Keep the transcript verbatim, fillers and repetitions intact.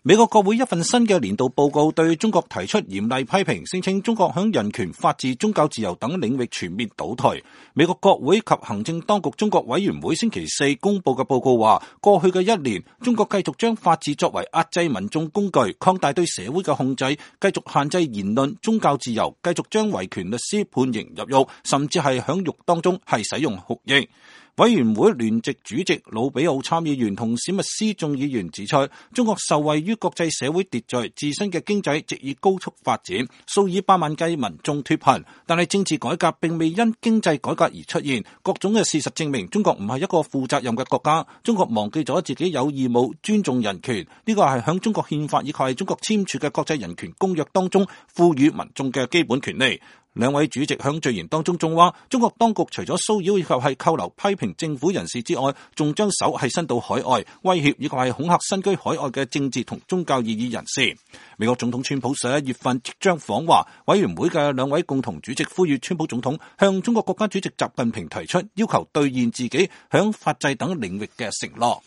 美國國會一份新嘅年度報告對中國提出嚴厲批評，聲稱中國響人權、法治、宗教自由等領域全面倒退。美國國會及行政當局中國委員會星期四公布嘅報告話，過去嘅一年，中國繼續將法治作為壓制民眾工具，擴大對社會嘅控制，繼續限制言論、宗教自由，繼續將維權律師判刑入獄，甚至係響獄當中係使用酷刑。委員會聯席主席魯比奧參議員同史密斯眾議員指出，中國受惠於國際社會秩序，自身嘅經濟直以高速發展，數以百萬計民眾脫貧，但係政治改革並未因經濟改革而出現。各種嘅事實證明，中國唔係一個負責任嘅國家。中國忘記咗自己有義務尊重人權，呢個係響中國憲法以及係中國簽署嘅國際人權公約當中賦予民眾嘅基本權利。兩位主席響序言當中仲話，中國當局除咗騷擾以及係扣留批評政府人士之外，仲將手係伸到海外，威脅以及係恐嚇身居海外嘅政治同宗教異議人士。美國總統川普十一月份即將訪華，委員會嘅兩位共同主席呼籲川普總統向中國國家主席習近平提出要求，兌現自己響法制等領域嘅承諾。